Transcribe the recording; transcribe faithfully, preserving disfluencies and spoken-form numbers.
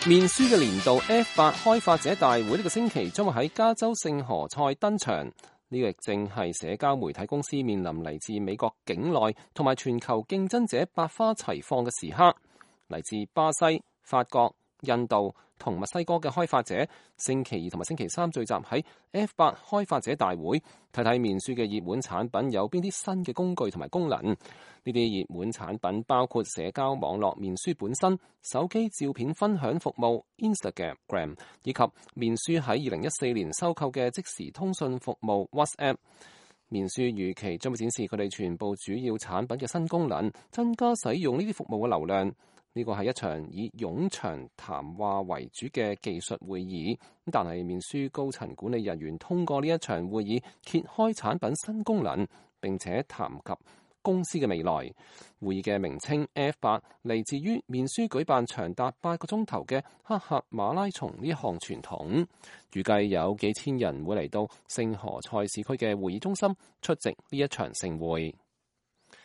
面書嘅年度 F 八開發者大會呢個星期將會喺加州聖何塞登場，呢個亦正係社交媒體公司面臨嚟自美國境內同埋全球競爭者百花齊放嘅時刻。嚟自巴西、法國、印度同墨西哥嘅開發者星期二同埋星期三聚集喺 F 八開發者大會，睇睇面書嘅熱門產品有邊啲新嘅工具同埋功能。呢啲熱門產品包括社交網絡面書本身、手機照片分享服務 Instagram， 以及面書喺二零一四年收購嘅即時通訊服務 WhatsApp。面書預期將會展示佢哋全部主要產品嘅新功能，增加使用呢啲服務嘅流量。呢個係一場以冗長談話為主嘅技術會議，但係面書高層管理人員通過呢一場會議揭開產品新功能，並且談及公司嘅未來。會議嘅名稱 F 八嚟自於面書舉辦長達八個鐘頭嘅黑客馬拉松呢一項傳統，預計有幾千人會嚟到聖何塞市區嘅會議中心出席呢一場盛會。